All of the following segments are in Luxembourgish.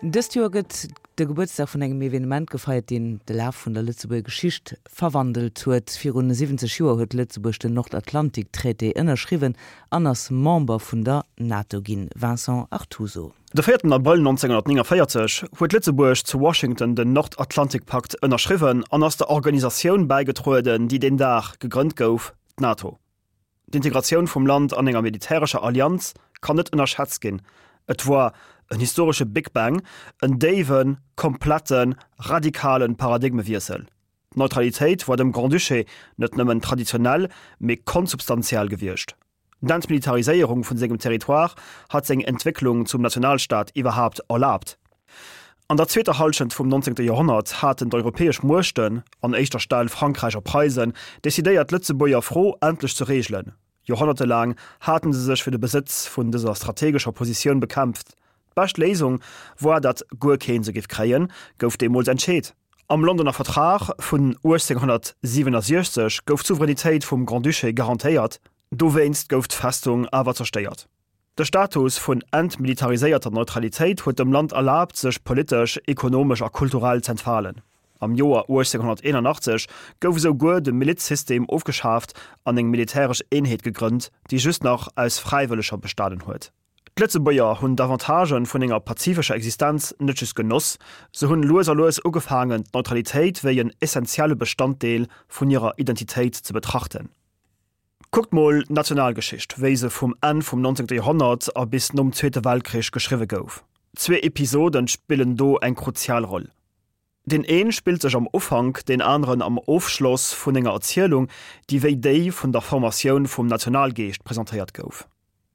Dëst Joer gëtt de Gebuertsdag vun engem Evenement gefeiert, deen de Laf vun der Lëtzebuerger Geschicht verwandelt huet. Virun 70 Joer huet Lëtzebuerg den Nordatlantiktraité ënnerschriwwen an ass Member vun der NATO ginn. Vincent Artuso. De véierten Abrëll 1949 huet Lëtzebuerg zu Washington den Nordatlantikpakt ënnerschriwwen an ass der Organisatioun bäigetrueden, déi deen Dag gegrënnt gouf, d'NATO. D'Integratioun vum Land an enger militärescher Allianz kann net ënnerschätzt ginn. Et woar en historesche Big Bang, en déiwen, kompletten, radikalen Paradigmewiessel. D'Neutralitéit woar dem Grand-Duché net nëmmen traditionell, mee konsubstantiell gewiescht. D'Entmilitariséierung vun sengem Territoire hat seng Entwécklung zum Nationalstaat iwwerhaapt erlaabt. An der zweeter Hallschent vum 19. Joerhonnert haten d'europäesch Muechten, an éischter Stell Frankräich a Preisen, decidéiert d'Lëtzebuerger Fro endlech ze reegelen. Joerhonnertelaang haten se sech fir de Besëtz vun dëser strategescher Positioun bekämpft. D'bescht Léisung woar, datt guer keen se giff kréien, gouf deemools entscheet. Am Londoner Vertrag vun 1867 gouf d'Souveränitéit vum Grand-Duché garantéiert, dowéinst gouf d'Festung awer zerstéiert. De Status vun entmilitariséierter Neutralitéit huet dem Land erlaabt, sech politesch, ekonomesch a kulturell z'entfalen. Am Joer 1881 gouf esou guer de Milizsystem ofgeschaaft an eng militäresch Eenheet gegrënnt, déi just nach aus Fräiwëlleger bestanen huet. D'Lëtzebuerger hunn d'Avantagen vun enger pazifescher Existenz net just genoss, se hunn lues a lues ugefaangen, d'Neutralitéit wéi en essentielle Bestanddeel vun hirer Identitéit ze betrachten. Kuckt mol d'Nationalgeschicht, wéi se vum Enn vum 19. Joerhonnert a bis nom Zweete Weltkrich geschriwwe gouf. Zwee Episoden spillen do eng kruzial Roll. Deen een spillt sech am Ufank, deen aneren am Ofschloss vun enger Erzielung, déi wéi déi vun der Formatioun vum Nationalgeescht presentéiert gouf.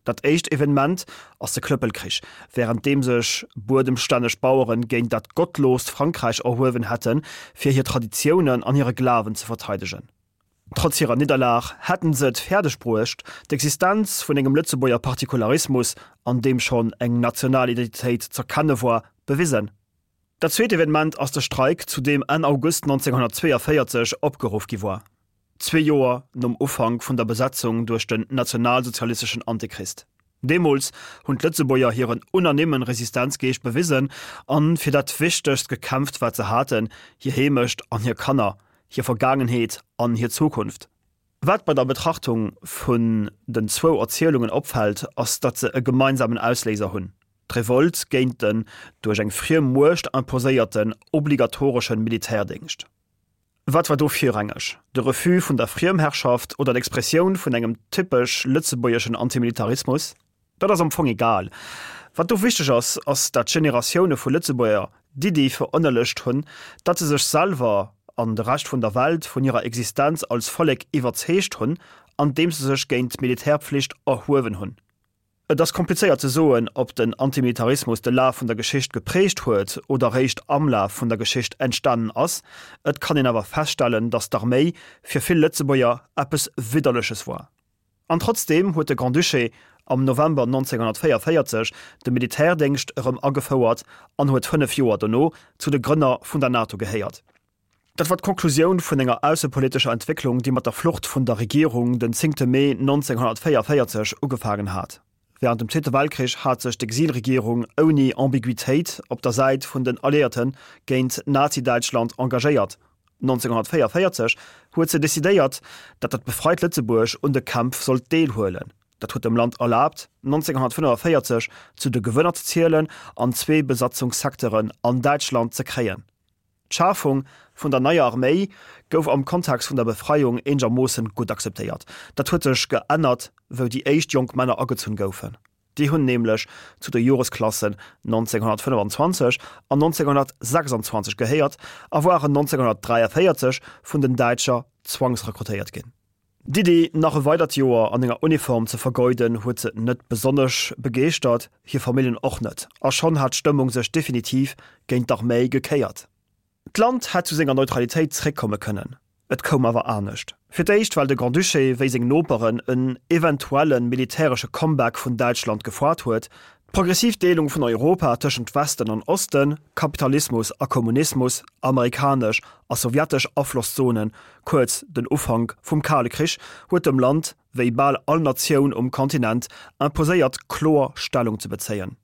Dat éischt Evenement ass de Klëppelkrich, wärend deem sech buedemstänneg Baueren géint dat gottloost Frankräich erhuewen hätten, fir hir Traditiounen an hire Glawen ze verteidegen. Trotz hirer Nidderlag hätten se et fäerdeg bruecht, d'Existenz vun engem Lëtzebuerger Partikularismus, an deem schonn eng national Identitéit z'erkenne woar, bewisen. Dat zweet Evenement ass de Streik, zu deem Enn August 1942 opgeruff gi woar, zwee Joer nom Ufank vun der Besetzung duerch den nationalsozialisteschen Antichrist. Deemools hunn d'Lëtzebuerger hiren unanimmen Resistenzgeescht bewisen an fir dat Wichtegst gekämpft wat se haten, hir Heemecht an hir Kanner, hir Vergaangenheet an hir Zukunft. Wat bei der Betrachtung vun den zwou Erzielungen opfält, ass datt se e gemeinsamen Ausléiser hunn, d'Revolt géint den duerch eng friem Muecht imposéierten obligatoreschen Militärdéngscht. Wat war do virrangeg, de Refus vun der Friemherrschaft oder d'Expressioun vun engem typesch lëtzebuergeschen Antimilitarismus? Dat ass am Fong egal. Wat do wichteg ass, ass dat Generatioune vu Lëtzebuerger d'Iddi verënnerlecht hunn, datt se sech selwer an de Rescht vun der Welt vun hirer Existenz als Vollek iwwerzeegt hunn, andeems se sech géint d'Militärpflicht erhuewen hunn. Et ass komplizéiert ze soen, ob den Antimilitarismus de Laf vun der Geschicht geprägt huet oder réischt am Laf vun der Geschicht entstanen ass. Et kann een awer feststellen, datt d'Arméi fir vill Lëtzebuerger eppes Widderleches war. An trotzdeem huet de Grand-Duché am November 1944 de Militärdéngscht erëm agefouert an huet 5 Joer dono zu de Grënner vun der NATO gehéiert. Dat war d'Konklusioun vun enger aussepolitescher Entwécklung, déi mat der Flucht vun der Regierung den zéngte Mee 1944 ugefaangen hat. Wärend dem Zweete Weltkrich hat sech d'Exilregierung ouni Ambiguitéit op der Säit vun den Alliéierte géint Nazi-Däitschland engagéiert. 1944 huet se decidéiert, datt dat befreit Lëtzebuerg un de Kämpf sollt deelhuelen. Dat huet dem Land erlaabt, 1945 zu de Gewënner ze zielen an zwee Besatzungssecteuren an Däitschland ze kréien. D'Schafung vun der neier Arméi gouf am Kontext vun der Befreiung eengermoossen gutt akzeptéiert. Dat huet sech geännert, wou déi éischt jonk Männer agezunn goufen. Déi hunn nämlech zu de Joresklassen 1925 an 1926 gehéiert a waren 1943 vun den Däitscher zwangsrekrutéiert ginn. D'Iddi, nach e weidert Joer an enger Uniform ze vergeuden, huet se net besonnesch begeeschtert, hir Familljen och net, a schonn hat d'Stëmmung sech definitiv géint d'Arméi gekéiert. D'Land hätt zu senger Neutralitéit zréckkomme kënnen, et koum awer anescht. Fir d'éischt, well de Grand-Duché, wéi seng Noperen, en eventuelle militäresche Comeback vun Däitschland gefoart huet, D'progressiv Deelung vun Europa tëschent Westen an Osten, Kapitalismus a Kommunismus, amerikanesch a sowjetesch Aflosszonen, kuerz den Ufank vum Kale Krich, huet dem Land, wéi bal all Natioun um Kontinent, imposéiert kloer Stellung ze bezéien.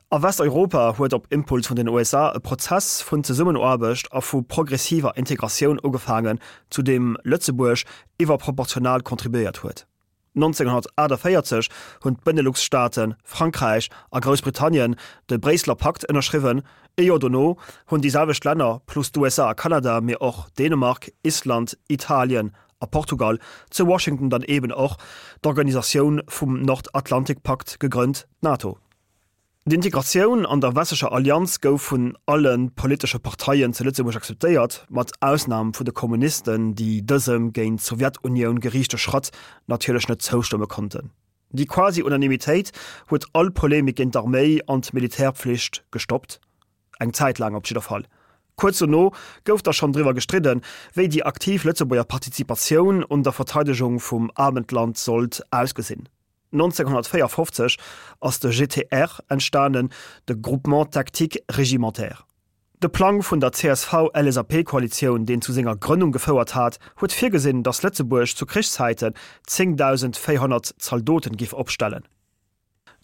A Westeuropa huet op Impuls vun den USA e Prozess vun Zesummenaarbecht a vu progressiver Integratioun ugefaangen, zu deem Lëtzebuerg iwwerproportional contribuéiert huet. 1948 hunn d'Benelux-Staaten, Frankräich a Groussbritannien de Bréisseler Pakt ënnerschriwwen. Ee Joer dono hunn déi selwecht Länner, plus d'USA a Kanada, mee och Dänemark, Island, Italien a Portugal, zu Washington dann eeben och d'Organisatioun vum Nordatlantikpakt gegrënnt, d'NATO. D'Integratioun an der westlecher Allianz gouf vun alle politesche Parteien zu Lëtzebuerg akzeptéiert, mat Ausnam vu de Kommunisten, déi dësem géint d'Sowjetunioun geriichte Schratt natierlech net zoustëmme konnten. Déi Quasi-Unanimitéit huet all Polemik géint d'Arméi an d'Militärpflicht gestoppt, eng Zäit laang op jidder Fall. Kuerz dono gouf da schonn driwwer gestridden, wéi déi aktiv Lëtzebuerger Partizipatioun un der Verteidegung vum Abendland sollt ausgesinn. 1954 ass de GTR entstanen, de Groupement Tactique Régimentaire. De Plang vun der CSV-LSAP-Koalitioun, deen zu senger Grënnung gefouert hat, huet virgesinn, datt Lëtzebuerg zu Krichszäiten 10.400 Zaldoten giff opstellen.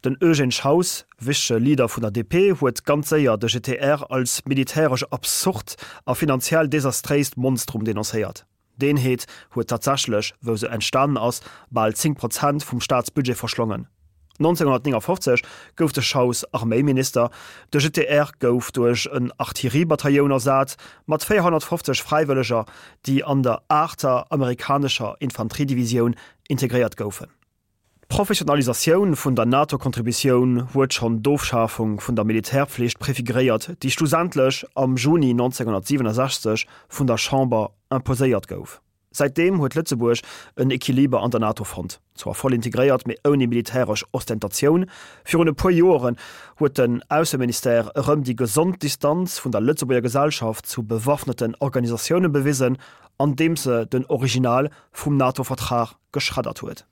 Den Eugène Schaus, wichtege Leader vun der DP, huet ganz séier de GTR als militäresch absurd a finanziell desastréist Monstrum denoncéiert. D'Eenheet huet tatsächlech, wou se entstanen ass, bal 10 Prozent vum Staatsbudget verschlongen. 1959 gouf de Schaus Arméiminister, de GTR gouf duerch en Artilleriebatailloun ersat, mat 450 Fräiwëlleger, déi an der aachter amerikanescher Infanteriedivisioun integréiert goufen. D'Professionalisatioun vun der NATO-Contributioun huet schonn d'Ofschafung vun der Militärpflicht prefiguréiert, déi schlussendlech am Juni 1967 vun der Chamber imposéiert gouf. Säitdeem huet Lëtzebuerg en Equiliber an der NATO fonnt, zwar voll integréiert, mee ouni militäresch Ostentatioun. Virun e puer Joeren huet den Ausseministère erëm déi gesond Distanz vun der Lëtzebuerger Gesellschaft zu bewaffneten Organisatioune bewisen, andeems se den Original vum NATO-Vertrag geschreddert huet.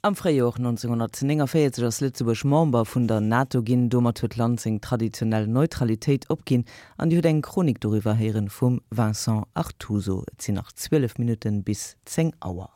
Am Fréijor 1949 ass Lëtzebuerg Member vun der NATO ginn. Domat huet d'Land seng traditionell Neutralitéit opginn an Dir hutt eng Chronik doriwwer héieren vum Vincent Artuso. Et sinn nach 12 Minutten bis 10 Auer.